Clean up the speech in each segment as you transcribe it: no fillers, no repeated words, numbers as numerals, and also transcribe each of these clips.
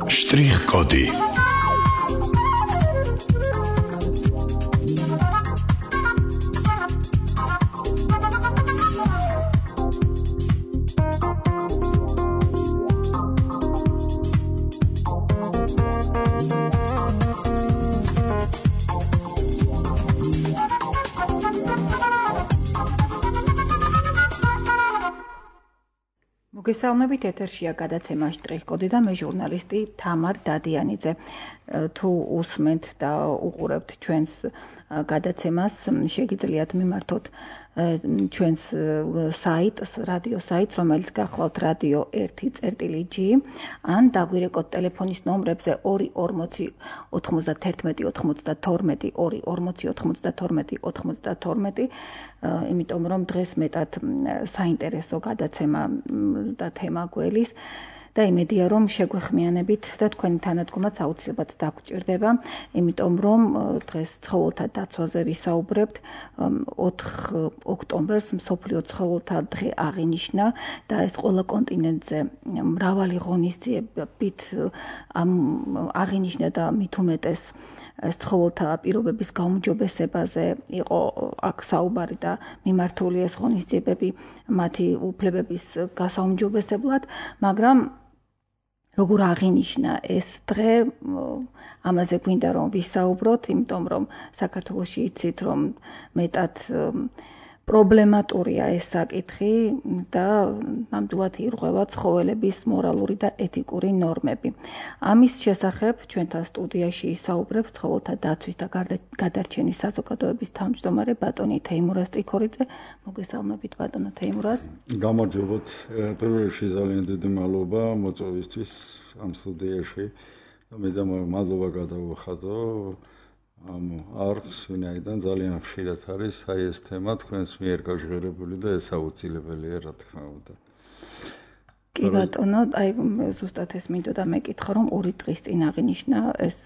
Штрих-коды. მოგესალმებით, ეთერშია გადაცემა შტრიხ-კოდი და მე ჟურნალისტი თამარ დადიანიძე. თუ უსმენთ და უყურებთ ჩვენს გადაცემას, შეგიძლიათ მიმართოთ ჩვენს საიტს, რადიო საიტს, რომელიც გახლავთ რადიო 1.g, ან დაგვირეკოთ ტელეფონის ნომრებზე 240 91 92 240 92 92, იმიტომ რომ დღეს მეტად საინტერესო გადაცემა და თემა გველის და იმედია რომ შეგვეხმიანებით და თქვენი თანადგომაც აუცილებლად დაგჭირდება, იმიტომ რომ დღეს ცხოველთა დაცვაზე ვისაუბრებთ. 4 ოქტომბერს მსოფლიო ცხოველთა დღე აღინიშნა და ეს ყველა კონტინენტზე მრავალი ღონისძიებით აღინიშნა და მით უმეტეს ცხოველთა პირობების გაუმჯობესებაზე იყო აქ საუბარი და მიმართული ეს ღონისძიებები მათი უფლებების გასაუმჯობესებლად, მაგრამ როგორ აღინიშნა ეს დღე, ამაზე გვინდა რომ ვისაუბროთ, იმიტომ რომ საქართველოში იცით რომ მეტად პრობლემატურია ეს საკითხი და ნამდვილად ირღვევა ცხოველების მორალური და ეთიკური ნორმები. ამის შესახებ ჩვენთან სტუდიაში ისაუბრებს ცხოველთა დაცვის და გადარჩენის საზოგადოების თავმჯდომარე ბატონი თეიმურაზ ტრიქორიძე. მოგესალმებით ბატონო თეიმურაზ. გამარჯობოთ. პირველ რიგში ძალიან დიდი მადლობა მოწვევისთვის ამ სტუდიაში. მე და მადლობა გადავუხადო ამ არხს, ვინაიდან ძალიან ხშირად არის აი ეს თემა თქვენს მიერ გაჟღერებული და ეს აუცილებელია, რა თქმა უნდა. კი ბატონო, აი ზუსტად ეს მინდოდა მეკითხა, რომ 2 დღის წინ აღინიშნა ეს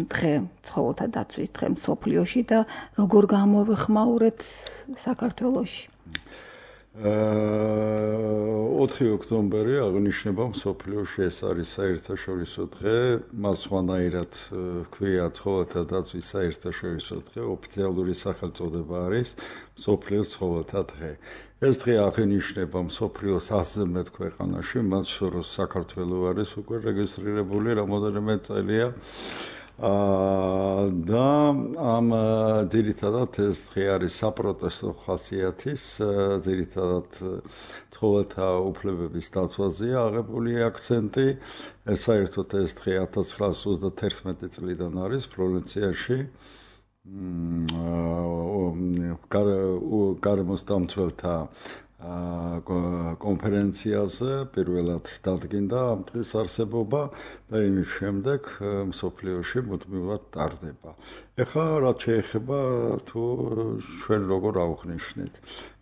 დღე, ცხოველთა დაცვის დღე მსოფლიოში და როგორ გამოვიხმაურეთ საქართველოში? 4 ოქტომბერი აღნიშნება მსოფლიოში, ეს არის საერთაშორისო დღე, მას სხვანაირად ქვია ცხოველთა დაცვის საერთაშორისო დღე, ოფიციალური სახელწოდება არის მსოფლიო ცხოველთა დღე. ეს დღე აღინიშნება მსოფლიოს 100-ზე მეტ ქვეყანაში, მათ შორის საქართველოს არის უკვე რეგისტრირებული რამოდენიმე წელია. და ამ ძირითადად ეს დღე არის საპროტესტო ხასიათის, ძირითადად ცხოველთა უფლებების დაცვაზეა აღებული აქცენტი. საერთოდ ეს დღე 1931 წლიდან არის ფლორენციაში გარემოს დამცველთა კონფერენციაზე პირველად დადგინდა ამ დღის არსებობა და იმის შემდეგ მსოფლიოში მუდმივად ტარდება. ეხლა რაც შეეხება თუ ჩვენ როგორ ავღნიშნით.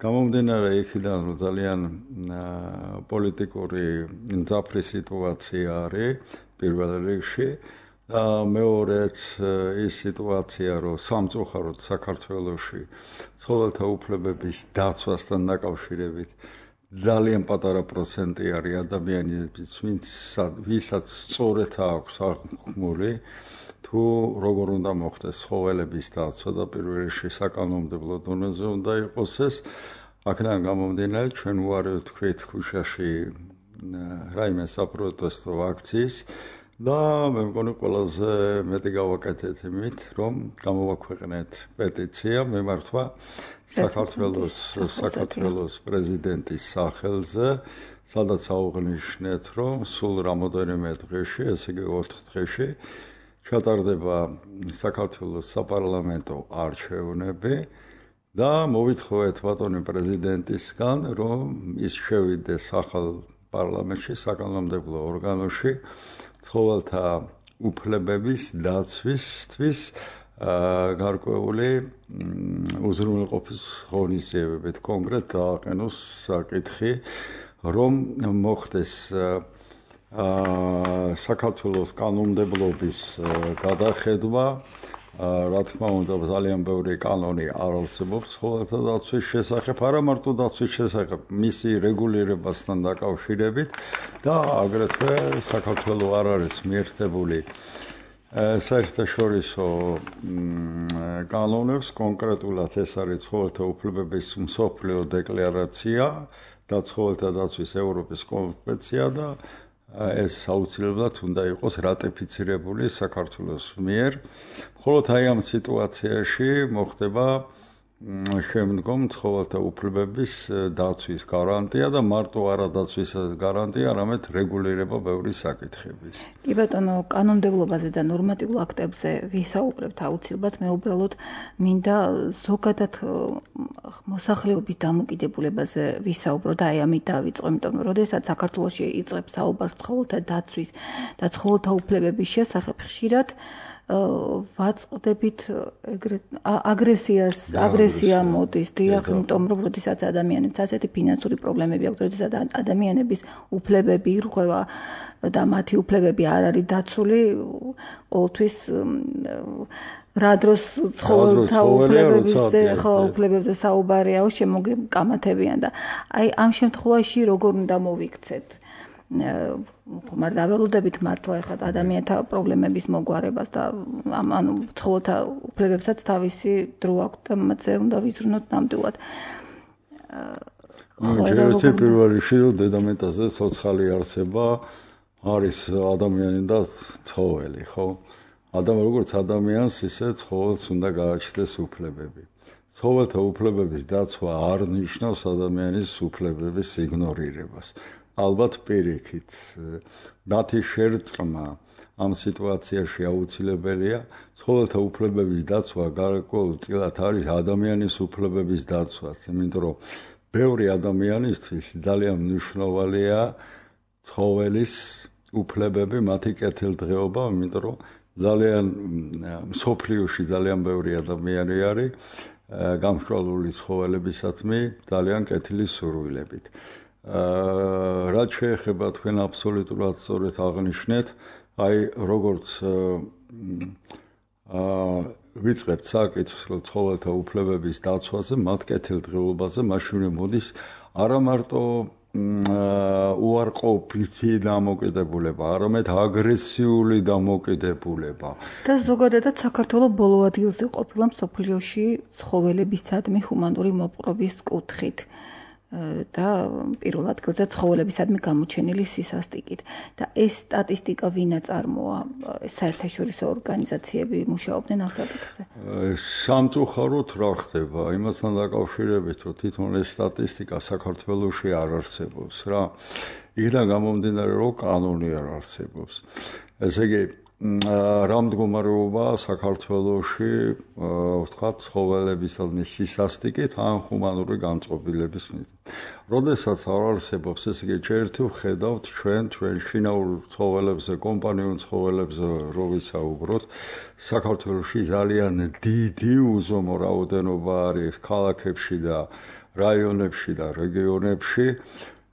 გამომდინარე იქიდან რომ ძალიან პოლიტიკური მძაფრი სიტუაცია არის პირველ რიგში და მეორეც ის სიტუაცია რომ სამწუხაროდ საქართველოში ცხოველთა უფლებების დაცვასთან დაკავშირებით ძალიან პატარა პროცენტი არის ადამიანების, ვისაც სწორედ აქვს აღქმული თუ როგორ უნდა მოხდეს ცხოველების დაცვა და პირველ რიგში საკანონმდებლო დონეზე უნდა იყოს ეს. აქედან გამომდინარე ჩვენ უარი ვთქვით ქუჩაში რაიმე საპროტესტო აქციის და მე მგონი ყველაზე მეტი გავაკეთეთ იმით, რომ გამოვაქვეყნეთ პეტიცია მემართვა საქართველოს პრეზიდენტის სახელზე, სადაც აუღნიშნეთ, რომ სულ რამოდენიმე დღეში, ესე იგი 4 დღეში ჩატარდება საქართველოს საპარლამენტო არჩევნები და მოვითხოვეთ ბატონი პრეზიდენტისგან, რომ ის შევიდეს ახალ პარლამენტში, საკანონმდებლო ორგანოში ცხოველთა უფლებების დაცვისთვის გარკვეული უზრუნველყოფის ღონისძიებებით. კონკრეტ დააყენოს საკითხი, რომ მოხდეს საქართველოს კანონმდებლობის გადახედვა რა თქმა უნდა, ძალიან ბევრი კანონი არ არსებობს ცხოველთა დაცვის შესახებ, არა მარტო დაცვის შესახებ, მისი რეგულირებასთან დაკავშირებით და აგრეთვე საქართველოს არ არის მიერთებული საერთაშორისო კანონებს, კონკრეტულად ეს არის ცხოველთა უფლებების მსოფლიო დეკლარაცია და ცხოველთა დაცვის ევროპის კონვენცია და ეს აუცილებლად უნდა იყოს რატიფიცირებული საქართველოს მიერ. მხოლოდ აი ამ სიტუაციაში მოხდება შემდგომ ცხოველთა უფლებების დაცვის გარანტია და მარტო არა დაცვის გარანტია, არამედ რეგულირება ბევრი საკითხების. კი ბატონო, კანონმდებლობაზე და ნორმატიულ აქტებზე ვისაუბრებთ აუცილებლად, მე უბრალოდ მინდა ზოგადად მოსახლეობის დამოკიდებულებაზე ვისაუბრო და აი ამით დავიწყო, იმიტომ რომ როდესაც საქართველოში იწყებს საუბარს ცხოველთა დაცვის და ცხოველთა უფლებების შესახებ, ხშირად ვაწყდებით აგრესია მოდის, დიახ, იმიტომ რომ როდესაც ადამიანებს ასეთი ფინანსური პრობლემები აქვს, როდესაც ადამიანების უფლებები ირღვევა და მათი უფლებები არ არის დაცული, ყოველთვის რა დროს ცხოველთა უფლებებზე საუბარიაო, შემოგეკამათებიან და აი ამ შემთხვევაში როგორ უნდა მოვიქცეთ? ხომ არ დაველოდებით მართლა ეხლა ადამიანთა პრობლემების მოგვარებას და ანუ ცხოველთა უფლებებსაც თავისი დრო აქვს და მათზე უნდა ვიზრუნოთ ნამდვილად. ერთი პირველ რიგში დედამეტაზე ცოცხალი არსება არის ადამიანი და ცხოველი, ხო? როგორც ადამიანს, ისე ცხოველს უნდა გააჩნდეს უფლებები. ცხოველთა უფლებების დაცვა არ ნიშნავს ადამიანის უფლებების იგნორირებას. ალბათ პირიქით, მათი შერწყმა ამ სიტუაციაში აუცილებელია. ცხოველთა უფლებების დაცვა გარკვეულწილად არის ადამიანის უფლებების დაცვაც, იმიტომ რომ ბევრი ადამიანისთვის ძალიან მნიშვნელოვანია ცხოველის უფლებები, მათი კეთილდღეობა, იმიტომ რომ ძალიან მსოფლიოში ძალიან ბევრი ადამიანი არის გამსჭვალული ცხოველებისადმი ძალიან კეთილი სურვილებით. რაც შეეხება თქვენ აბსოლუტურად სწორედ აღნიშნეთ, აი როგორც ვიწყებთ საკითხს ცხოველთა უფლებების დაცვაზე, მათ კეთილდღეობაზე, მაშინ მოდის არა მარტო უარყოფითი დამოკიდებულება, არამედ აგრესიული დამოკიდებულება. და ზოგადად საქართველოს ბოლო ადგილზე ყოფილა მსოფლიოში ცხოველებისადმი ჰუმანური მოპყრობის კუთხით. და პირველ ადგილზე ცხოველებისადმი გამოჩენილი სისასტიკით და ეს სტატისტიკა ვინა წარმოა საერთაშორისო ორგანიზაციები მუშაობდნენ ამ საკითხზე. სამწუხაროდ რა ხდება იმასთან დაკავშირებით რომ თვითონ ეს სტატისტიკა საქართველოში არ არსებობს რა იქიდან გამომდინარე რომ კანონი არ არსებობს ესე იგი რა მდგომარეობა საქართველოში ვთქვათ ცხოველებისადმი სისასტიკით ან ჰუმანური განწყობილების მიზნით. როდესაც არ არსებობს ესე იგი ერთი ვხედავთ ჩვენ შინაურ ცხოველებზე, კომპანიურ ცხოველებზე რო ვისაუბროთ, საქართველოში ძალიან დიდი უზომო რაოდენობა არის ქალაქებში და რაიონებში და რეგიონებში.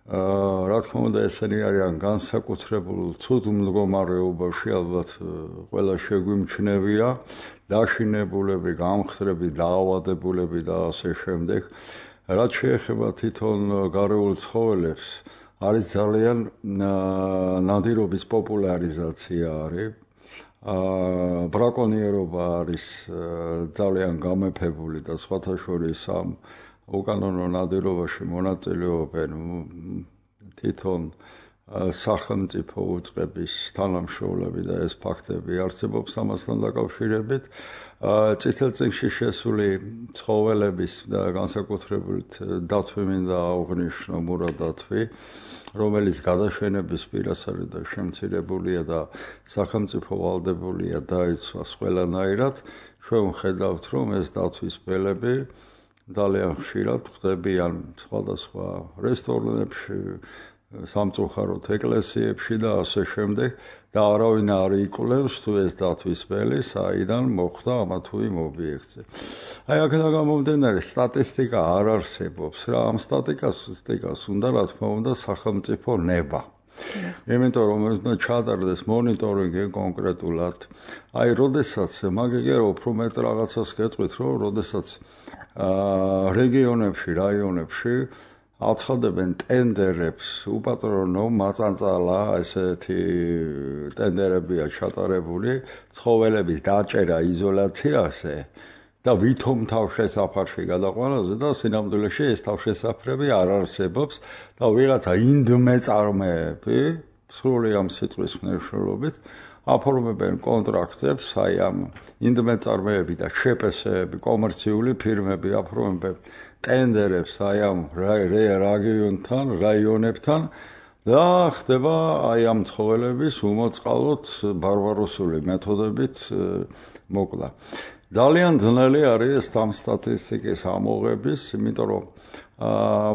რა თქმა უნდა ესენი არიან განსაკუთრებულ ცუდ მდგომარეობაში, ალბათ ყველა შეგვიმჩნევია, დაშინებულები, გამხდრები, დაავადებულები და ასე შემდეგ. რაც შეეხება თვითონ გარეულ ცხოველებს, არის ძალიან ნადირობის პოპულარიზაცია არის. ბრაკონიერობა არის ძალიან გამეფებული და სხვათა შორის ამ უკანონო ნადირობაში მონაწილეობენ თვითონ სახელმწიფო უწყების თანამშრომლები და ეს ფაქტები არსებობს ამასთან დაკავშირებით. წითელწიგნში შესული ცხოველების და განსაკუთრებით დათვი მინდა აღვნიშნო მურა დათვი, რომელიც გადაშენების პირას არის და შემცირებულია და სახელმწიფო ვალდებულია დაიცვას ყველანაირად. ჩვენ ვხედავთ, რომ ეს დათვის ბელები ძალიან ხშირად ხდებიან სხვადასხვა რესტორნებში, სამწუხაროდ ეკლესიებში და ასე შემდეგ და არავინ არ იკვლევს თუ ეს დათვის ბელი საიდან მოხდა ამა თუ იმ ობიექტზე. აი აქედან გამომდინარე სტატისტიკა არ არსებობს რა ამ სტატისტიკას უნდა რა თქმა უნდა სახელმწიფო ნება. იმიტომ რომ უნდა ჩაატარდეს მონიტორინგი კონკრეტულად. აი, როდესაც მაგიგე უფრო მეტ რაღაცას გეტყვით, რომ როდესაც რეგიონებში, რაიონებში აცხადებენ ტენდერებს, უპატრონო მაწანწალა, ესეთი ტენდერებია ჩატარებული, ცხოველების დაჭერა იზოლაციაზე და ვითომ თავშესაფარში გადაყვანაზე და სინამდვილეში ეს თავშესაფრები არ არსებობს და ვიღაცა ინდმეწარმეები, სრული ამ სიტყვის მნიშვნელობით, აფორმებენ კონტრაქტებს, აი ამ ინდმეწარმეები და შეპესეები, კომერციული ფირმები აფორმებენ ტენდერებს აი ამ რაიონებთან და ხდება აი ამ ცხოველების უმოწყალოდ ბარბაროსული მეთოდებით მოკლა. ძალიან ძნელი არის ამ სტატისტიკის ამოღების, იმიტომ რომ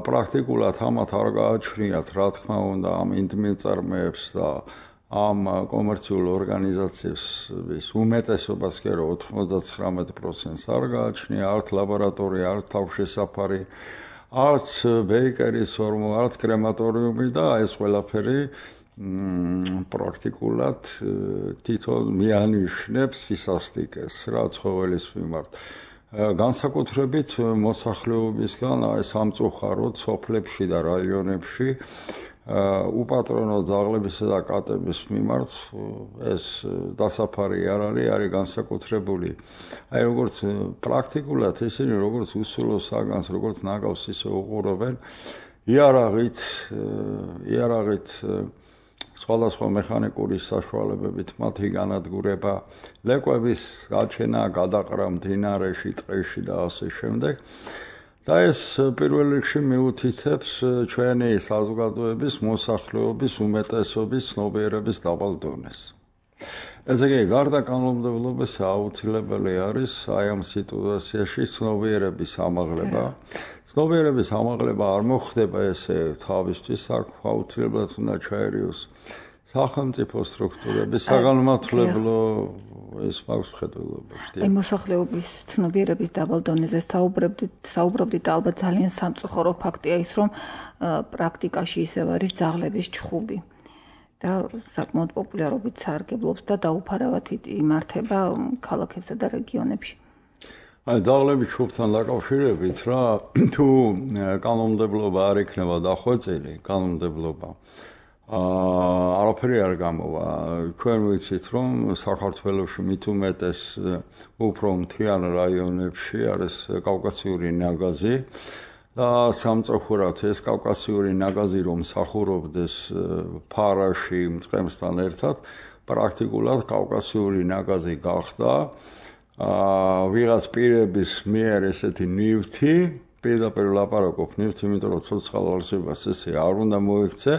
პრაქტიკულად ამათ არ გააჩნიათ, რა თქმა უნდა, ამ ინდმეწარმეებს და ამ კომერციულ ორგანიზაციების უმეტესობას კი რომ 99%-ს არ გააჩნია, არც ლაბორატორია, არც თავშესაფარი, არც ბეიკერის ორმო, არც კრემატორიუმი და ეს ყველაფერი პრაქტიკულად თვითონ მიანიშნებს სისასტიკეს რა ცხოველის მიმართ. განსაკუთრებით მოსახლეობისგან აი სამწუხაროდ სოფლებში და რაიონებში უპატრონო ძაღლებისა და კატების მიმართ ეს დასაფარი არ არის განსაკუთრებული. აი როგორც პრაქტიკულად ისინი როგორც უსულო საგანს, როგორც ნაგავს ისე უყურებენ, იარაღით სხვადასხვა მექანიკური საშუალებებით მათი განადგურება, ლეკვების გაჩენა, გადაყრა მდინარეში, ტყეში და ასე შემდეგ. და ეს პირველ რიგში მიუთითებს ჩვენი საზოგადოების მოსახლეობის უმეტესობის ცნობიერების დაბალ დონეს. ესე იგი, გარდა კანონმდებლობისა აუცილებელი არის აი ამ სიტუაციაში ცნობიერების ამაღლება. ცნობიერების ამაღლება არ მოხდება ესე თავისთვის, აქ აუცილებლად უნდა ჩაერიოს სახელმწიფო სტრუქტურები, საგანმანათლებლო ეს მაქვს ხედველობაში. აი მოსახლეობის ცნობიერების დაბალ დონეზე საუბრობდით და ალბათ ძალიან სამწუხარო ფაქტია ის, რომ პრაქტიკაში ისევ არის ძაღლების ჩხუბი და საკმაოდ პოპულარობით სარგებლობს და დაუფარავად იმართება ქალაქებსა და რეგიონებში. აი ძაღლების ჩხუბთან დაკავშირებით რა თუ კანონმდებლობა არ იქნება დახვეწილი, კანონმდებლობა არაფერი არ გამოვა. ჩვენ ვიცით, რომ საქართველოში მით უმეტეს უფრო მთიან რაიონებში არის კავკასიური ნაგაზი და სამწუხაროდ ეს კავკასიური ნაგაზი რომ მსახურობდეს ფარაში მწყემსთან ერთად, პრაქტიკულად კავკასიური ნაგაზი გახდა ვიღაც პირების მიერ ესეთი ნივთი, პირდაპირ ლაპარაკობ ნივთი, იმიტომ რომ ცოცხალ არსებას ესე არ უნდა მოიქცე,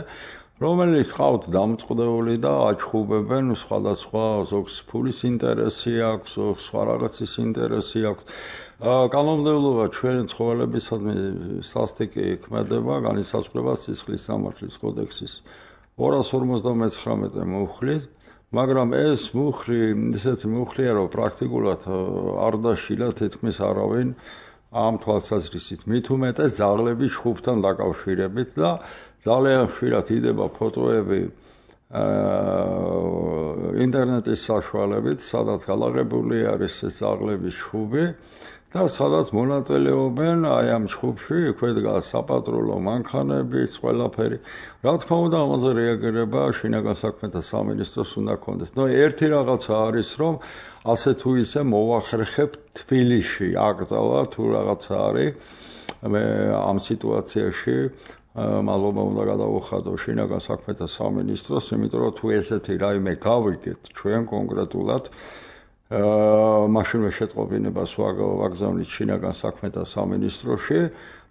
რომელიც ყავთ დამწყდეული და აჩხუბებენ სხვადასხვა ზოგს ფულის ინტერესი აქვს, ზოგს სხვა რაღაცის ინტერესი აქვს. კანონმდებლობა ჩვენი ცხოველებისადმი სასტიკი ქმედება, განისაზღვრება სისხლის სამართლის კოდექსის 259 მუხლით, მაგრამ ეს მუხლი ისეთი მუხლია, რომ პრაქტიკულად არ დაშილა თითქმის არავინ ამ თვალსაზრისით. მით უმეტეს ძაღლების ჩხუბთან დაკავშირებით და ძალიან ხშირად იდება ფოტოები ინტერნეტის საშუალებით, სადაც გადაღებული არის ეს ძაღლების ჩხუბი და სადაც მონაწილეობენ აი ამ ჩხუბში, იქვე დგას საპატრულო მანქანები, ყველაფერი. რა თქმა უნდა, ამაზე რეაგირება შინაგან საქმეთა სამინისტროს უნდა ქონდეს. ნუ ერთი რაღაცა არის, რომ ასე თუ ისე მოვახერხებ თბილისში აკრძალა თუ რაღაცა არის ამ სიტუაციაში მადლობა უნდა გადავუხადო შინაგან საქმეთა სამინისტროს, იმიტომ რომ თუ ესეთი რაიმე გავიგეთ ჩვენ კონკრეტულად მაშინვე შეტყობინებას ვაგზავნით შინაგან საქმეთა სამინისტროში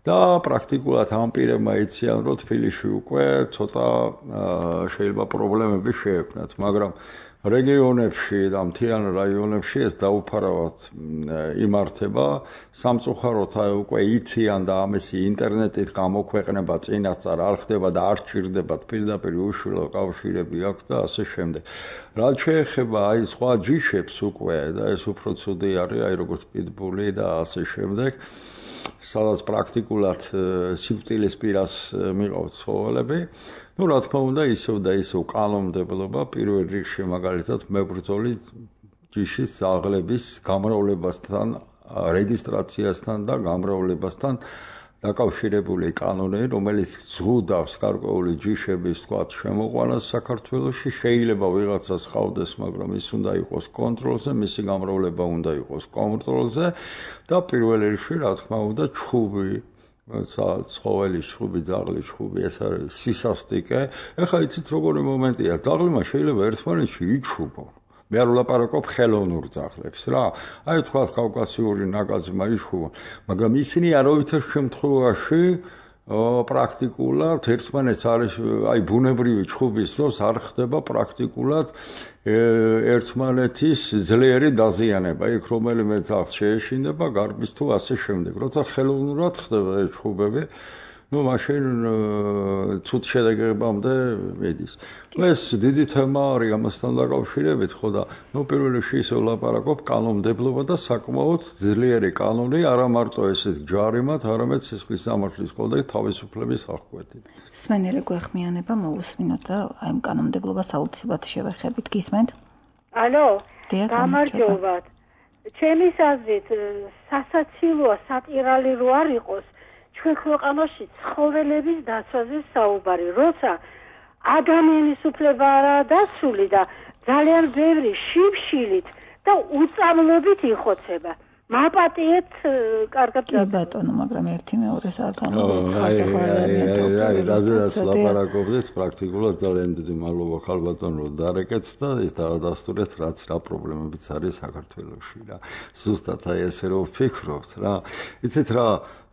და პრაქტიკულად ამ პირებმა იციან, რომ თბილისში უკვე ცოტა შეიძლება პრობლემები შეექმნათ, მაგრამ რეგიონებში და მთიან რაიონებში ეს დაუფარავად იმართება. სამწუხაროდ უკვე იციან და ამისი ინტერნეტით გამოქვეყნება წინასწარ არ ხდება და არ სჭირდებათ პირდაპირ უშვილო კავშირები აქვს და ასე შემდეგ. რაც შეეხება აი სხვა ჯიშებს უკვე და ეს უფრო ცუდი არის, აი როგორც პიტბული და ასე შემდეგ. სადაც პრაქტიკულად სიკვდილის პირას მიყავთ ცხოველები. Ну, რა თქმა უნდა, ისევ და ისევ კანონმდებლობა პირველ რიგში მაგალითად მებრძოლი ჯიშის ძაღლების გამრავლებასთან, რეგისტრაციასთან და გამრავლებასთან დაკავშირებული კანონი, რომელიც ზღუდავს გარკვეული ჯიშების თქვათ შემოყვანას საქართველოში, შეიძლება ვიღაცას ყავდეს, მაგრამ ის უნდა იყოს კონტროლზე, მისი გამრავლება უნდა იყოს კონტროლზე და პირველ რიგში, რა თქმა უნდა, ჩხუბი ცხოველის ჩხუბი, ძაღლის ჩხუბი, ეს არის სისასტიკე. ეხლა იცით როგორი მომენტია, ძაღლმა შეიძლება ერთმანეთში იჩუბო. მე არ ვლაპარაკობ ხელოვნურ ძაღლებს რა. აი თქვათ კავკასიური ნაგაზმა იჩუბო, მაგრამ ისინი არავითარ შემთხვევაში პრაქტიკულად ერთმანეთს არის აი ბუნებრივი ჩხუბის დროს არ ხდება პრაქტიკულად ერთმანეთის ძლიერი დაზიანება. იქ რომელიმე ძაღლს შეეშინდება გარბის თუ ასე შემდეგ. როცა ხელოვნურად ხდება ჩხუბები, ну, მაშინ ცუდ შედეგებამდე მიდის. ეს დიდი თემა არის ამასთან დაკავშირებით, ხო და ну, პირველ რიგში ისე ვლაპარაკობ კანონმდებლობა და საკმაოდ ძლიერი კანონი, არა მარტო ესეთ ჯარიმად, არამედ სისხლის სამართლის კოდექსი თავისუფლების აღკვეთით. სმენელი გვეხმიანება მოусმინოთ და აი ამ კანონმდებლობას აუცილებლად შევეხებით. გისმენთ? ალო, გამარჯობათ. ჩემის აზრით, სასაცილოა, სატირალი რო არ იყოს, ჩვენ ქვეყანაში ცხოველების დაცვაზე საუბარი, როცა ადამიანის უფლება არაა დაცული და ძალიან ბევრი შიმშილით და უწამლობით იხოცება. მაპატიეთ კარგად ბატონო, მაგრამ ერთი მეორეს არ რაზედაც ლაპარაკობდით, პრაქტიკულად ძალიან დიდი მადლობა ხალბატონო დარეკეთ და ეს დაადასტურეთ რაც რა პრობლემებიც არის საქართველოში რა. ზუსტად აი ესე რომ ვფიქრობთ რა. იცით რა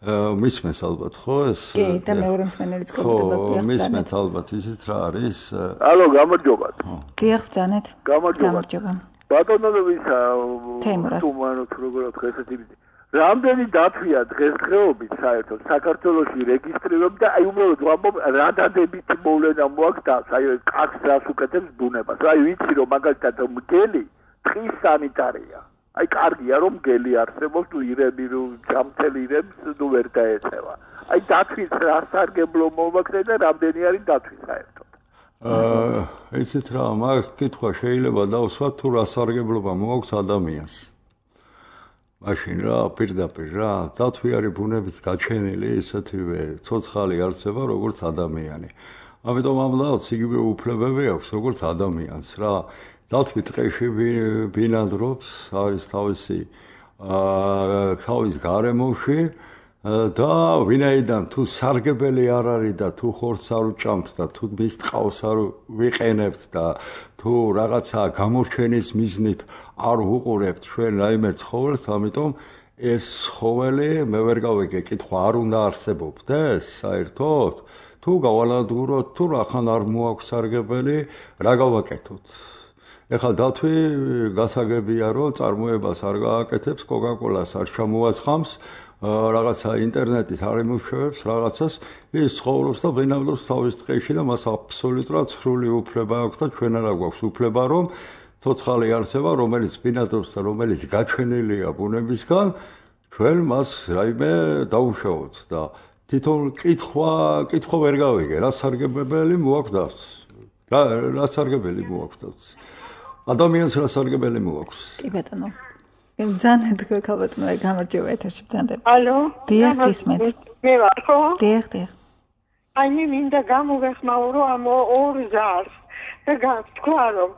მისმენს ალბათ ხო ეს? კი, და მეორე მსმენელიც გქონდება ხო, მისმენთ ალბათ, იცით რა არის? ალო, გამარჯობათ. დიახ, ბრძანეთ. გამარჯობა. ბატონოვისა, თუმანოთ როგორ თქვა ესეთი რამდენი დათვია დღესდღეობით საერთოდ საქართველოში რეგისტრირებული და აი უბრალოდ ვამბობ რა დადებით მოვლენა მოაქვს აი კაცს რას უკეთებს ბუნებას. აი ვიცი რომ მაგალითად მგელი ტყის სანიტარია. აი კარგია რომ მგელი არსებობს თუ ირემი რომ გამწელი ირემს ნუ ვერ დაეწევა. აი დათვის რა სარგებლო მოვაქცე და რამდენი არის დათვის საერთოდ. ისეთ რა მაგ კითხვა შეიძლება დავსვათ თუ რა სარგებლობა მოაქვს ადამიანს. მაშინ რა პირდაპირ რა დათვი არის ბუნებით გაჩენილი ისეთივე ცოცხალი არსება როგორც ადამიანი. ამიტომ ამ ლავს იგივე უფლებები აქვს როგორც ადამიანს რა. დათვი ტყეში ბინადრობს, არის თავის გარემოში და ვინაიდან თუ სარგებელი არ არის და თუ ხორცს არ უჭამთ და თუ მის ტყავს არ ვიყენებთ და თუ რაღაცა გამორჩენის მიზნით არ ვუყურებთ ჩვენ რაიმე ცხოველს, ამიტომ ეს ცხოველი მე ვერ გავიგე კითხვა არ უნდა არსებობდეს საერთოდ თუ გავალადგუროთ თუ რახან არ მოაქვს სარგებელი რა გავაკეთოთ. ეხლა დათვი გასაგებია რომ წარმოებას არ გააკეთებს, კოკა-კოლას არ ჩამოაცხამს, რაღაცა ინტერნეტით არ იმუშავებს რაღაცას, ის ცხოვრობს და ბინადრობს თავის ტყეში და მას აბსოლუტურად სრული უფლება აქვს და ჩვენ არა გვაქვს უფლება რომ ცოცხალი არსება რომელიც ბინადრობს და რომელიც გაჩენილია ბუნებისგან ჩვენ მას რაიმე დაუშავოთ და თვითონ კითხვა ვერ გავიგე რა სარგებელი მოაქვს რა სარგებელი მოაქვს ადამიანს რა სარგებელი მოაქვს. კი ბატონო. ბრძანეთ ქალბატონო, გამარჯობა ეთერში ბრძანდები. ალო. დიახ, გისმენთ. მე ვარ ხო? დიახ. აი მე მინდა გამოვეხმაურო ამ ორ ზარს და გთქვა რომ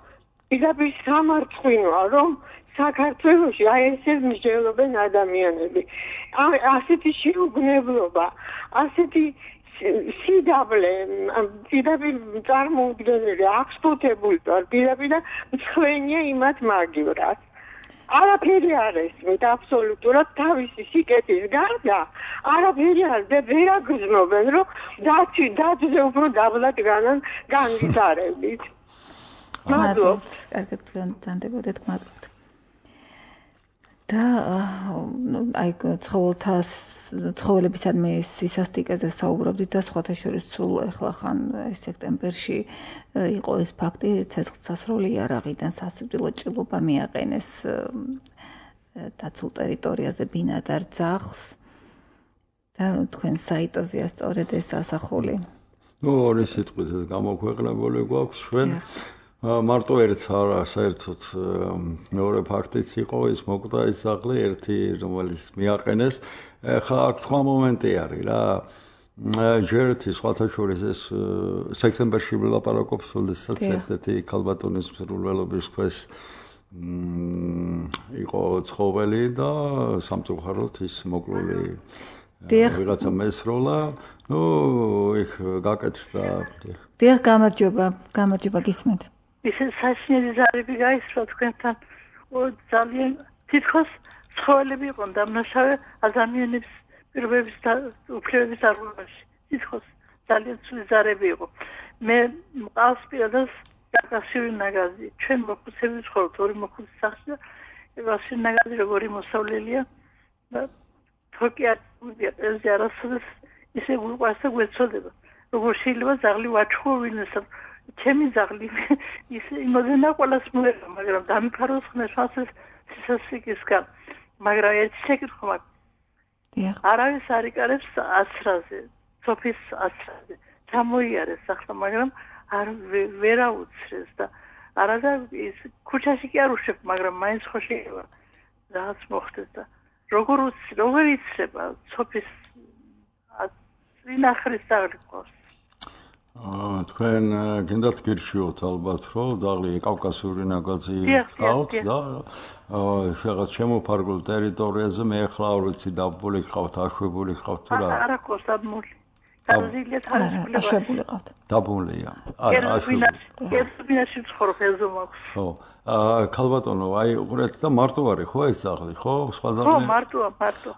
პირდაპირ სამარცხვინოა რომ საქართველოში აი ესე მსჯელობენ ადამიანები. ასეთი შეუგნებლობა, ასეთი სიდაბლე, პირდაპირ წარმოუდგენელი, აღსტუთებული ვარ პირდაპირ და მცხვენია იმათ მაგივრად. არაფერი არ ესმით აბსოლუტურად თავისი სიკეთის გარდა არაფერი არ და ვერ აგრძნობენ რომ დაძე უფრო დაბლად განვითარებით. მადლობთ. კარგად განდებოდეთ, მადლობთ. და აი ცხოველებისადმი სისასტიკეზე საუბრობდით და სხვათა შორის სულ ახლა ხან სექტემბერში იყო ეს ფაქტი ცეცხლსასროლი იარაღიდან სასიკვდილო ჭრილობა მიაყენეს დაცულ ტერიტორიაზე ბინადარ ძაღლს და თქვენ საიტოზეა სწორედ ეს ასახული. ნუ ორი სიტყვით გამოქვეყნებული გვაქვს ჩვენ. მარტო ერთს არა, საერთოდ მეორე ფაქტიც იყო ის მოკვდა ის ძაღლი ერთი რომელიც მიაყენეს. ხა აქ სხვა მომენტი არის რა. ჯერეთი სხვათა შორის ეს სექტემბერში ვილაპარაკობს, როდესაც ერთ-ერთი ქალბატონის მსრულველობის ქვეშ იყო ცხოველი და სამწუხაროდ ის მოკლული ვიღაცა მესროლა. ნუ იქ გაკეთდა. დიახ, გამარჯობა გისმენთ. ისე საშინელი ზარები გაისრა თქვენთან. ძალიან თითქოს ცხოველები იყვნენ დამნაშავე ადამიანების პირობების და უფლებების დარღვევაში. თითქოს ძალიან ცუდი ზარები იყო. მე მყავს პირადად დაკავშირი ნაგაზი. ჩვენ მოხუცები ვცხოვრობთ ორი მოხუცის სახლში და დაკავშირი ნაგაზი როგორი მოსავლელია და თოკია ეს არასოდეს ისე გვიყვარს და გვეცოდება. როგორ შეიძლება ზაღლი ვაჩხო ვინმესა ჩემი ზაღლი ისე იმოდენა ყველას მოერა, მაგრამ დამიფაროს ხნეშას სისასიკისგან. მაგრამ ერთი შეკითხვა მაქვს. არავის არ იკარებს ასრაზე, სოფის ასრაზე. ჩამოიარეს ახლა, მაგრამ არ ვერაუცრეს და არადა ის ქუჩაში კი არ უშვებ, მაგრამ მაინც ხო შეიძლება რაღაც მოხდეს და როგორ იცრება სოფის ვინახრის ზაღლი ყავს. თქვენ გინდათ გირჩიოთ ალბათ, რომ ზაღლი კავკასიური ნაგაზი ყავთ და რაღაც შემოფარგლულ ტერიტორიაზე მე ახლა არ ვიცი დაბული ყავთ, აშვებული ყავთ თუ რა? არა ყავს დაბული. დაბულია აშვებული ყავთ. დაბულია. არა, აშვებული. ერთბინაში ცხოვრობ ეზო მაქვს. ხო. ქალბატონო, აი უყურეთ და მარტო არის ხო ეს ზაღლი, ხო? სხვა ზაღლი? ხო, მარტოა.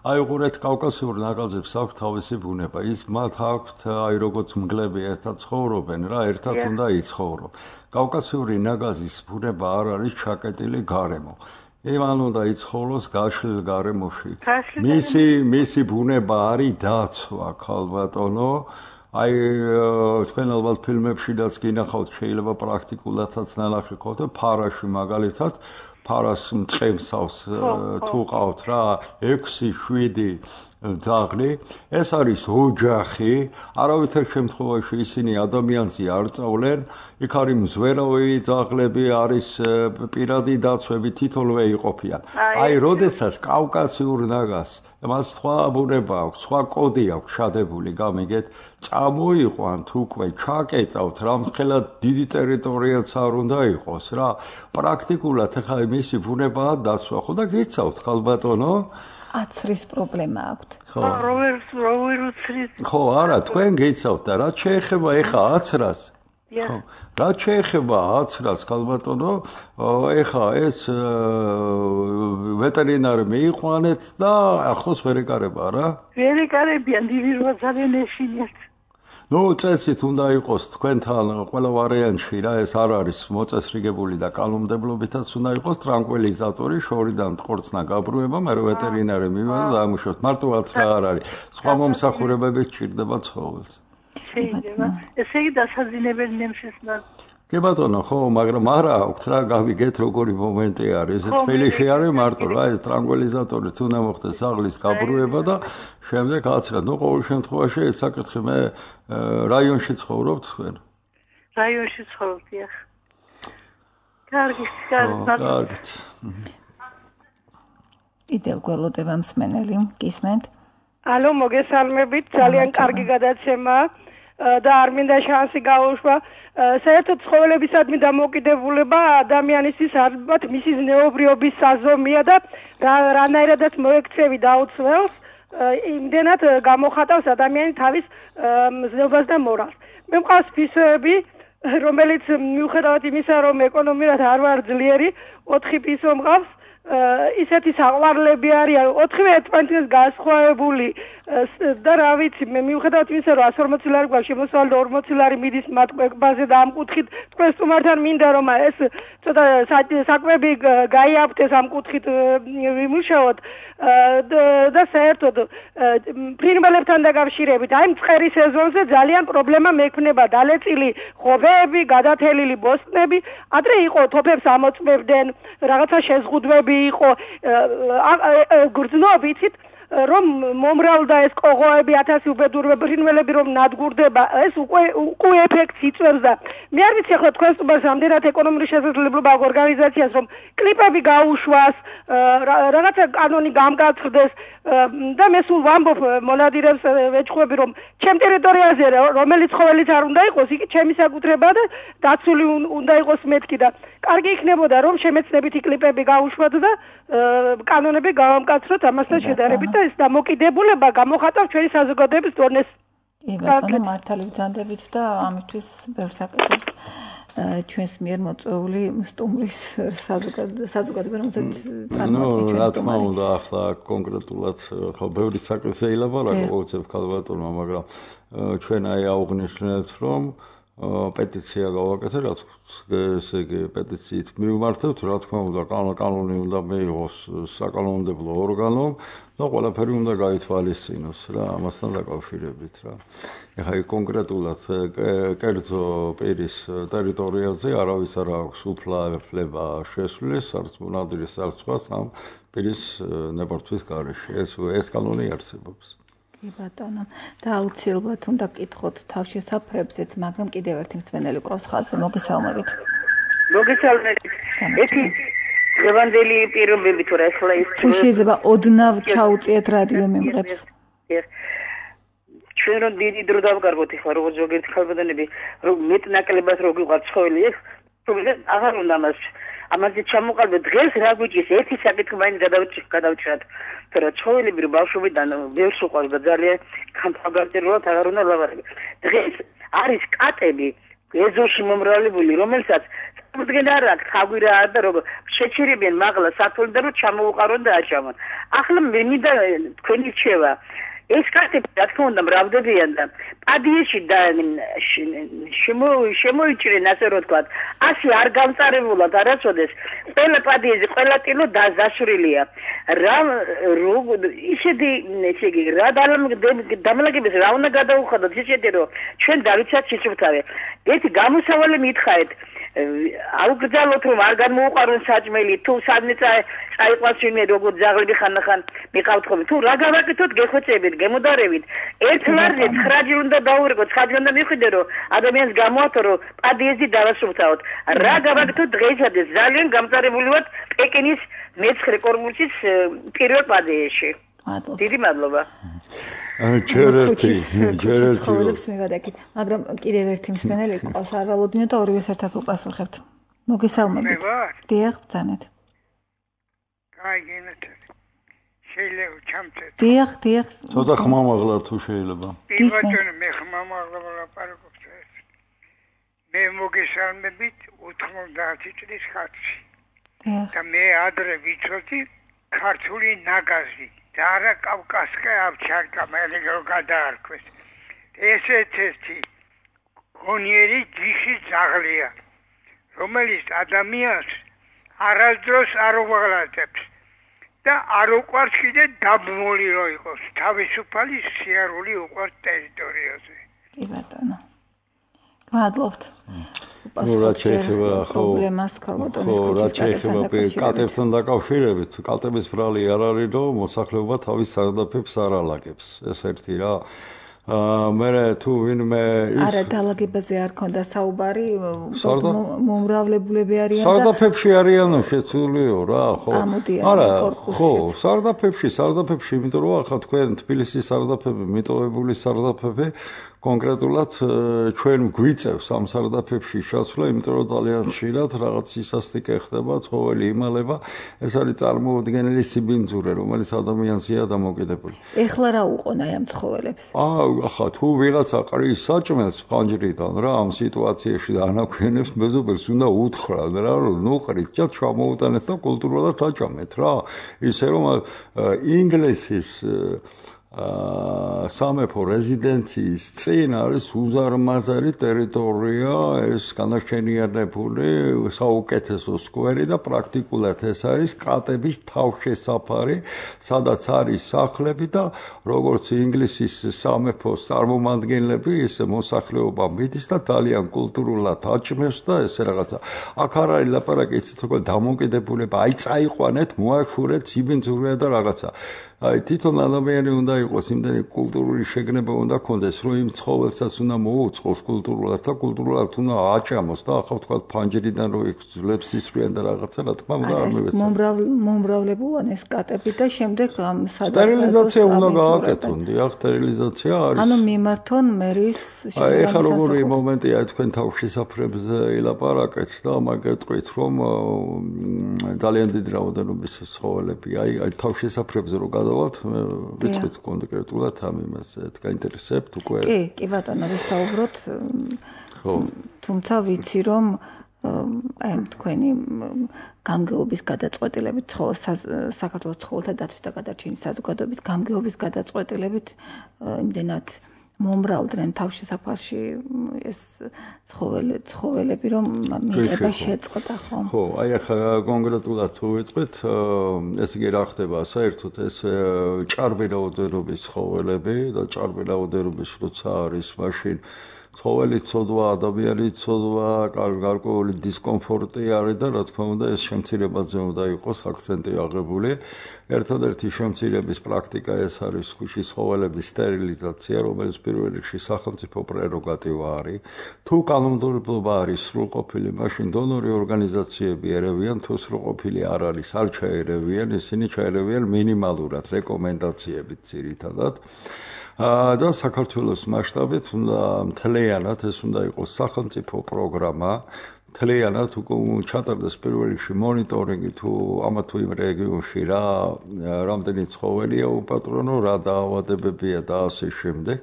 აი უყურეთ კავკასიურ ნაგაზებს აქვს თავისი ბუნება. ის მათ აქვთ აი როგორც მგლები ერთად ცხოვრობენ რა, ერთად უნდა იცხოვრო. კავკასიური ნაგაზის ბუნება არ არის ჩაკეტილი გარემო. იმან უნდა იცხოვროს გაშლილ გარემოში. მისი ბუნება არის დაცვა, ქალბატონო. აი თქვენ ალბათ ფილმებშიდაც გინახავთ, შეიძლება პრაქტიკულადაც ნალახი გქონდეთ, ფარაში მაგალითად, ფარას მწყემსავს თუ ყავთ რა, 6-7 ზაღლი, ეს არის ოჯახი, არავითარ შემთხვევაში ისინი ადამიანზე არ წავლენ, იქ არის მზვერავი ზაღლები, არის პირადი დაცვები, თითოეულვე იყოფიან. აი, როდესაც კავკასიურ ნაგაზს მას სხვა ბუნება აქვს, სხვა კოდი აქვს შადებული, გამიგეთ, წამოიყვან თუ უკვე ჩაკეტავთ, რამხელა დიდი ტერიტორიაც არ უნდა იყოს რა. პრაქტიკულად ახლა მისი ბუნებაა დაცვა, ხო და გიცავთ ქალბატონო? აცრის პრობლემა აქვთ. ხო, როგორ უცრის? ხო, არა, თქვენ გიცავთ და რაც შეეხება ეხა აცრას. ხო, რაც შეეხება აცრას, ქალბატონო, ეხა ეს ვეტერინარი მიიყვანეთ და ახლოს ვერ ეკარება რა? ვერ ეკარებიან, დივირვა ძალიან ეშინიათ. ნუ წესით უნდა იყოს თქვენთან ყველა ვარიანტში რა, ეს არ არის მოწესრიგებული და კანონმდებლობითაც უნდა იყოს ტრანკვილიზატორი, შორიდან ტყორცნა გაბრუება, მე ვეტერინარი მივიდა და ამუშავოთ. მარტო აცრა არ არის. სხვა მომსახურებებით ჭირდება ცხოველს. შეიძლება. ესე იგი დასაძინებელი ნემსისნა. კი ბატონო, ხო, მაგრამ არა აქვთ რა, გავიგეთ როგორი მომენტი არის. ეს თბილისში არის მარტო რა, ეს ტრანკვილიზატორი თუ უნდა მოხდეს ზაღლის გაბრუება და შემდეგ აცრა. ნუ ყოველ შემთხვევაში ეს საკითხი მე რაიონში ცხოვრობთ თქვენ? რაიონში ცხოვრობ, დიახ. კარგი. კიდევ გველოდება მსმენელი, გისმენთ? ალო, მოგესალმებით, ძალიან კარგი გადაცემა და არ მინდა შანსი გაუშვა. საერთოდ ცხოველებისადმი დამოკიდებულება ადამიანისთვის ალბათ მისი ზნეობრიობის საზომია და რანაირადაც მოექცევი დაუცველს, იმდენად გამოხატავს ადამიანი თავის ზნეობას და მორალს. მე მყავს ფისოები, რომელიც მიუხედავად იმისა, რომ ეკონომიურად არ ვარ ძლიერი, 4 ფისო მყავს. ისეთი საყვარლები არიან 4-ვე ერთმანეთს განსხვავებული და რა ვიცი მე მიუხედავად იმისა რომ 140 ლარი გვაქვს შემოსავალი და 40 ლარი მიდის მათ კვებაზე და ამ კუთხით თქვენ სტუმართან მინდა რომ ეს ცოტა საკვები გაიაფთეს ამ კუთხით ვიმუშაოთ და საერთოდ ფრინველებთან დაკავშირებით აი მწყერი სეზონზე ძალიან პრობლემა მექნება დალეწილი ხოვეები გადათელილი ბოსტნები ადრე იყო თოფებს ამოწმებდნენ რაღაცა შეზღუდვები იყო გრძნობ იცით რომ მომრავლდა ეს ყოღოები 1000 უბედურება ფრინველები რომ ნადგურდება ეს უკვე ეფექტს იწვევს და მე არ ვიცი ახლა თქვენ სტუმარს რამდენად ეკონომიკური შესაძლებლობა აქვს ორგანიზაციას რომ კლიპები გაუშვას რაღაცა კანონი გამკაცრდეს და მე სულ ვამბობ მონადირებს ვეჭხვები რომ ჩემ ტერიტორიაზე რომელიც ცხოველიც არ უნდა იყოს იგი ჩემი საკუთრებაა და დაცული უნდა იყოს მეთქი და კარგი იქნებოდა რომ შემეცნებითი კლიპები გაუშვათ და კანონები გავამკაცროთ ამასთან შედარებით და ეს დამოკიდებულება გამოხატავს ჩვენი საზოგადოების დონეს. კი ბატონო მართალი ვძანდებით და ამისთვის ბევრს აკეთებს ჩვენს მიერ მოწვეული სტუმრის საზოგადოება რომელსაც წარმოადგენს რა თქმა უნდა ახლა კონკრეტულად ხო ბევრი საკითხი ელაპარაკო უცებ ქალბატონმა მაგრამ ჩვენ აი აუღნიშნეთ რომ პეტიცია გავაკეთეთ ესე იგი პეტიციით მივმართებთ რა თქმა უნდა კანონი უნდა მიიღოს საკანონმდებლო ორგანომ და ყველაფერი უნდა გაითვალისწინოს რა ამასთან დაკავშირებით რა ეხლა კონკრეტულად კერძო პირის ტერიტორიაზე არავის არ აქვს უფლება შესვლის არც მონადირის არც სხვას ამ პირის ნებართვის გარეშე ეს კანონი არსებობს კი ბატონო და აუცილებლად უნდა გკითხოთ თავშესაფრებზეც მაგრამ კიდევ ერთი მსმენელი ყავს ხალხზე მოგესალმებით ეთი დღევანდელი პირობები თუ რა ახლა ის თუ შეიძლება ოდნავ ჩაუწიეთ რადიო მიმღებს ჩვენ რომ დიდი დრო დავგარგოთ ახლა როგორც ზოგიერთ ხალხბატონები რომ მეტნაკლებად რო გიყვართ ცხოველი ეს თუმცა აღარ უნდა ამაზე ჩამოყალიბეთ დღეს რა გვიჭირს ერთი საკითხი მაინც გადავჭრათ თორე ცხოველები რო ბავშვობიდან ბევრს უყვარს და ძალიან გამფაგარტერულად აღარ უნდა ლაპარაკო დღეს არის კატები ეზოში მომრავლებული რომელსაც უდგენ არ აქვს ხაგვირა და როგორ შეჩერებიან მაღლა სათოლი და რომ ჩამოუყარონ და აჭამონ ახლა მინდა თქვენი რჩევა ეს კარტები რა თქმა უნდა მრავლდებიან და პადიეში და შემოიჭრენ ასე რომ თქვა ასე არ გამწარებულად არასოდეს ყველა პადიეზე ყველა ტილო დასურილია რა ისეთი ესე იგი რა დამლაგების რა უნდა გადაუხადოთ ისეთი რომ ჩვენ დავიცათ სიცოცხლე ერთი გამოსავალი მითხარით აუგრძალოთ რომ არ გამოუყარონ საჭმელი თუ სადმე წაიყვანს ვინმე როგორ ძაღლები ხანდახან მიყავთ ხოლმე თუ რა გავაკეთოთ გეხვეწებით გემოდარებით ერთ ლარზე 9 ჯერ უნდა დაურეკოთ 9 ჯერ უნდა მიხვიდე რომ ადამიანს გამოათო რომ პადიეზი დავასუფთავოთ რა გავაკეთოთ დღეისათვის ძალიან გამწარებული ვართ პეკინის მეცხრე კორპუსის პირველ პადიეში დიდი მადლობა ჯერერთი ცხოვრებს მივადაკით მაგრამ კიდევ ერთი მსმენელი ყავს არ ვალოდინო და ორივეს ერთად უპასუხებთ მოგესალმებით დიახ ბრძანეთ გაიგენეთ შეიძლება ჩამწეთ დიახ ცოტა ხმამაღლა თუ შეიძლება ბატონო მე ხმამაღლა ლაპარაკობ მე მოგესალმებით 90 წლის ხალხი და მე ადრე ვიცოდი ქართული ნაგაზი და არა კავკასკა ავჩარკა მე როგორ გადაარქვეს ესეთი გონიერი ჯიში ძაღლია რომელიც ადამიანს არასდროს არ უღალატებს და არ უყვარს კიდე დაბმული რო იყოს თავისუფალი სიარული უყვარს ტერიტორიაზე კი ბატონო მადლობთ რა შეიძლება ხო პრობლემას ქალბატონის კუჩის კატებთან დაკავშირებით კატების ბრალი არ არის რომ მოსახლეობა თავის სარდაფებს არ ალაგებს ეს ერთი რა მე თუ ვინმე ის არა დალაგებაზე არ ქონდა საუბარი მომრავლებულები არიან და სარდაფებში არიანო შეცვლიო რა ხო არა ხო სარდაფებში იმიტომ რომ ახლა თქვენ თბილისის სარდაფები მიტოვებული სარდაფები კონკრეტულად ჩვენ გვიწევს ამ სარდაფებში შეცვლა, იმიტომ რომ ძალიან ხშირად რაღაც სისასტიკე ხდება, ცხოველი იმალება, ეს არის წარმოუდგენელი სიბინძურე, რომელიც ადამიანზეა დამოკიდებული. ეხლა რა უყონ აი ამ ცხოველებს? ახლა თუ ვიღაცა ყრის საჭმელს ფანჯრიდან რა ამ სიტუაციაში და ანაქვენებს მეზობელს უნდა უთხრათ რა, რომ ნუ ყრით, ჯერ ჩამოუტანეთ და კულტურულად აჭამეთ რა. ისე რომ ინგლისის სამეფო რეზიდენციის წინ არის უზარმაზარი ტერიტორია, ეს განაშენიანებული საუკეთესო სკვერი და პრაქტიკულად ეს არის კატების თავშესაფარი, სადაც არის სახლები და როგორც ინგლისის სამეფოს წარმომადგენლები, ისე მოსახლეობა მიდის და ძალიან კულტურულად აჭმევს და ესე რაღაცა. აქ არ არის ლაპარაკი იცით როგორ დამოკიდებულება, აი წაიყვანეთ, მოახურეთ, სიბინძურია და რაღაცა. აი თვითონ ადამიანი უნდა იყოს იმდენი კულტურული შეგნება უნდა ქონდეს, რომ იმ ცხოველსაც უნდა მოუწყოს კულტურულად და კულტურულად უნდა აჭამოს და ახლა თქვა ფანჯერიდან რომ იგძლებს ისვრიან და რაღაცა რა თქმა უნდა არ მივეცადე. მომრავლებულან ეს კატები და შემდეგ სტერილიზაცია უნდა გააკეთონ, დიახ, სტერილიზაცია არის. ანუ მიმართონ მერის აი ეხლა როგორი მომენტია თქვენ თავშესაფრებზე ილაპარაკეთ და მაგეთყვით რომ ძალიან დიდი რაოდენობის ცხოველები აი თავშესაფრებზე რო გადავალთ ვიწყით კონკრეტულად ამ იმაზე გაინტერესებთ უკვე კი ბატონო ვისაუბროთ ხო თუმცა ვიცი რომ აი თქვენი გამგეობის გადაწყვეტილებით საქართველოს ცხოველთა დაცვის და გადარჩენის საზოგადოების გამგეობის გადაწყვეტილებით იმდენად მომრავლდნენ თავშესაფარში ეს ცხოველები რომ მიღება შეწყდა ხო? ხო, აი ახლა კონკრეტულად თუ ვიტყვით, ესე იგი რა ხდება, საერთოდ ეს ჭარბი რაოდენობის ცხოველები და ჭარბი რაოდენობის როცა არის მაშინ ცხოველი ცოდვა, ადამიანი ცოდვა, გარკვეული დისკომფორტი არის და რა თქმა უნდა ეს შემცირებაზე უნდა იყოს აქცენტი აღებული. ერთადერთი შემცირების პრაქტიკა ეს არის ქუჩის ცხოველების სტერილიზაცია, რომელიც პირველ რიგში სახელმწიფო პრეროგატივა არის. თუ კანონმდებლობა არის სრულყოფილი, მაშინ დონორი ორგანიზაციები ერევიან, თუ სრულყოფილი არ არის, არ ჩაერევიან, ისინი ჩაერევიან მინიმალურად რეკომენდაციებით ძირითადად. და საქართველოს მასშტაბით უნდა მთლიანად ეს უნდა იყოს სახელმწიფო პროგრამა მთლიანად ჩატარდეს პირველ რიგში მონიტორინგი თუ ამა თუ იმ რეგიონში რამდენი ცხოველია უპატრონო რა დაავადებებია და ასე შემდეგ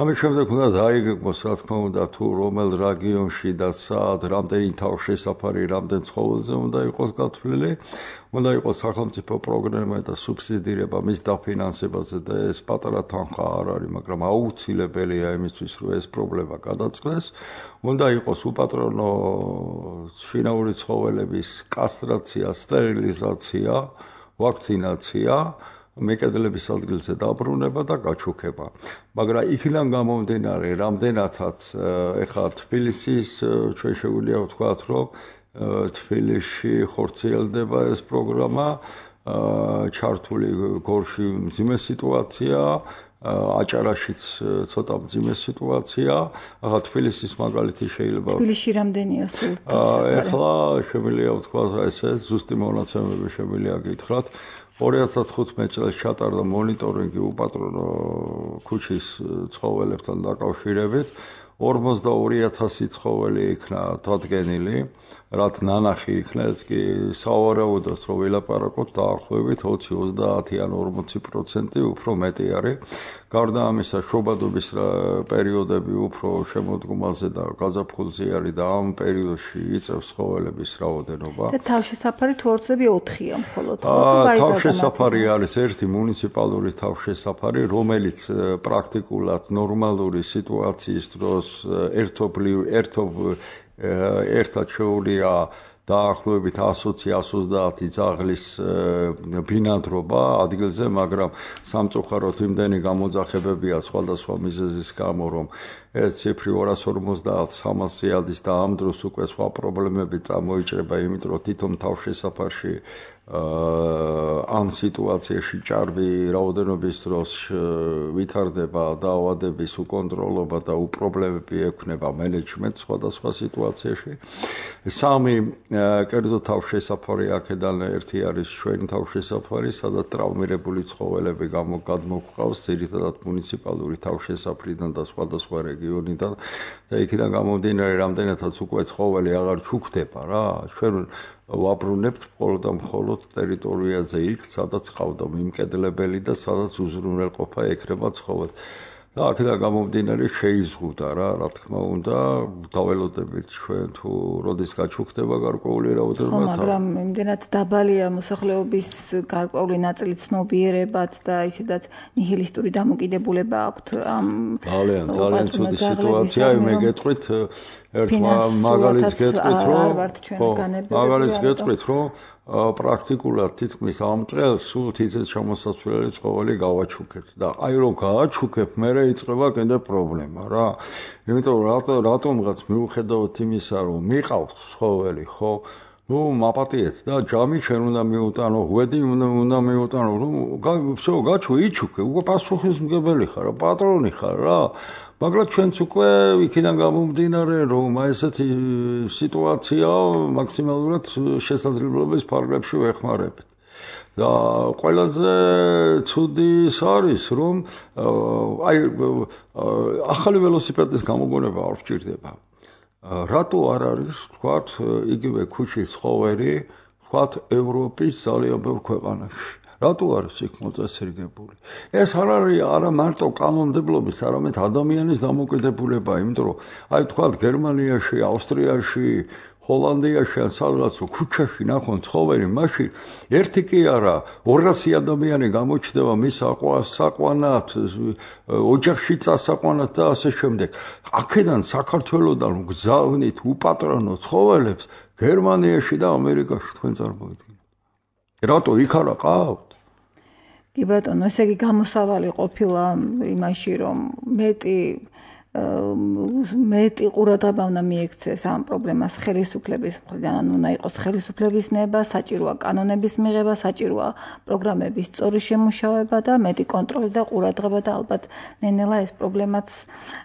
ამის შემდეგ უნდა დაიგეგმოს რა თქმა უნდა თუ რომელ რეგიონში და სად რამდენი თავშესაფარი რამდენ ცხოველზე უნდა იყოს გათვლილი უნდა იყოს სახელმწიფო პროგრამა და სუბსიდირება მის დაფინანსებაზე და ეს პატარა თანხა არ არის, მაგრამ აუცილებელია იმისთვის, რომ ეს პრობლემა გადაწყდეს. უნდა იყოს უპატრონო შინაური ცხოველების კასტრაცია, სტერილიზაცია, ვაქცინაცია, მეკედლების ადგილზე დაბრუნება და გაჩუქება. მაგრამ იქიდან გამომდინარე, რამდენადაც ეხლა თბილისის ჩვენ შეგვიძლია ვთქვათ, რომ თბილისში ხორციელდება ეს პროგრამა, ჩართული გორში მძიმე სიტუაცია, აჭარაშიც ცოტა მძიმე სიტუაცია. ახლა თბილისის მაგალითი შეიძლება თბილისში რამდენია სულ? ეხლა შემიძლია ვთქვათ ესე ზუსტი მონაცემები შემიძლია გითხრათ. 2015 წელს ჩატარდა მონიტორინგი უპატრონო ქუჩის ცხოველებთან დაკავშირებით. 42,000 ცხოველი იქნა დადგენილი, რაც ნანახი იქნა, ეს კი სავარაუდოდ რომ ვილაპარაკოთ დაახლოებით 20-30 ან 40% უფრო მეტი არის. გარდა ამისა, შობადობის პერიოდები უფრო შემოდგომაზე და გაზაფხულზე არის და ამ პერიოდში იწევს ცხოველების რაოდენობა. და თავშესაფარი თუ ორცები 4-ია მხოლოდ. თავშესაფარი არის ერთი მუნიციპალური თავშესაფარი, რომელიც პრაქტიკულად ნორმალური სიტუაციის დროს ერთად შეუძლია დაახლოებით 120-130 ძაღლის ბინადრობა ადგილზე, მაგრამ სამწუხაროდ იმდენი გამოძახებებია სხვადასხვა მიზეზის გამო, რომ ეს ციფრი 250-300 ადის და ამ დროს უკვე სხვა პრობლემები წამოიჭრება, იმიტომ რომ თვითონ თავშესაფარში ამ სიტუაციაში ჭარბი რაოდენობის დროს ვითარდება დაავადების უკონტროლობა და უპრობლემები ექნება მენეჯმენტს სხვადასხვა სიტუაციაში. სამი კერძო თავშესაფარი აქედან ერთი არის ჩვენი თავშესაფარი, სადაც ტრავმირებული ცხოველები გადმოგვყავს ძირითადად მუნიციპალური თავშესაფრიდან და სხვადასხვა რეგიონიდან და იქიდან გამომდინარე რამდენადაც უკვე ცხოველი აღარ ჩუქდება რა. ჩვენ ვაბრუნებთ მხოლოდ ტერიტორიაზე იქ, სადაც ყავდა მიმკედლებელი და სადაც უზრუნველყოფა ექნება ცხოველს. და აქედან გამომდინარე შეიზღუდა რა თქმა უნდა, დაველოდებით ჩვენ თუ როდის გაჩუქდება გარკვეული რაოდენობა. მაგრამ იმდენად დაბალია მოსახლეობის გარკვეული ნაწილი ცნობიერებაც და ისედაც ნიჰილისტური დამოკიდებულება აქვთ ამ ძალიან ცუდი სიტუაცია, მე გეტყვით ერთ მაგალითს გეტყვით, რომ პრაქტიკულად თითქმის ამ წელს სულ თითქმის ჩამოსასვლელი ცხოველი გავაჩუქეთ და აი რომ გააჩუქებ, მერე იწყება კიდე პრობლემა რა. იმიტომ რომ რატომღაც მიუხედავად იმისა, რომ მიყავს ცხოველი, ხო, მაპატიეთ და ჯამი ჩვენ უნდა მიუტანო, ღვედი უნდა მიუტანო, всё, გაჩვე იჩუქე, უკვე პასუხისმგებელი ხარ, პატრონი ხარ რა. მაგრამ ჩვენც უკვე იქიდან გამომდინარე, რომ ესეთი სიტუაცია მაქსიმალურად შესაძლებლობის ფარგლებში ვეხმარებით. და ყველაზე ცუდი ის არის, რომ ახალი ველოსიპედის გამოგონება არ ვჭირდება. რატო არ არის, თქვათ, იგივე ქუჩის ხოვერი, თქვათ, ევროპის ძალიან ბევრ ქვეყანაში. რატო არის იქ მოწესრიგებული? ეს არ არის არა მარტო კანონმდებლობის, არამედ ადამიანის დამოკიდებულება, იმიტომ რომ აი თქვათ გერმანიაში, ავსტრიაში, ჰოლანდიაში ან სადღაც ქუჩაში ნახონ ცხოველი, მაშინ ერთი კი არა, 200 ადამიანი გამოჩნდება მის საყვანად, ოჯახში წასაყვანად და ასე შემდეგ. აქედან საქართველოსდან გზავნით უპატრონო ცხოველებს გერმანიაში და ამერიკაში თქვენ წარმოიდგინეთ. რატო იქ არა ყავთ? კი ბატონო, ესე იგი გამოსავალი ყოფილა იმაში, რომ მეტი ყურადღება უნდა მიექცეს ამ პრობლემას ხელისუფლების მხრიდან, უნდა იყოს ხელისუფლების ნება, საჭიროა კანონების მიღება, საჭიროა პროგრამების სწორი შემუშავება და მეტი კონტროლი და ყურადღება და ალბათ ნენელა ეს პრობლემაც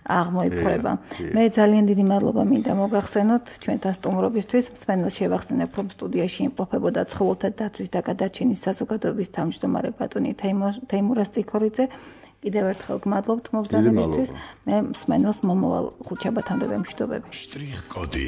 აღმოიფრება. მე ძალიან დიდი მადლობა მინდა მოგახსენოთ ჩვენთან სტუმრობისთვის. მსმენელს შევახსენებ, რომ სტუდიაში იმყოფებოდა ცხოველთა დაცვის და გადარჩენის საზოგადოების თავმჯდომარე ბატონი თეიმურაზ წიქორიძე. კიდევ ერთხელ გმადლობთ მობრძანებისთვის. მე მსმენელს მომავალ ხუთშაბათამდე ვემშვიდობები. შტრიხ კოდი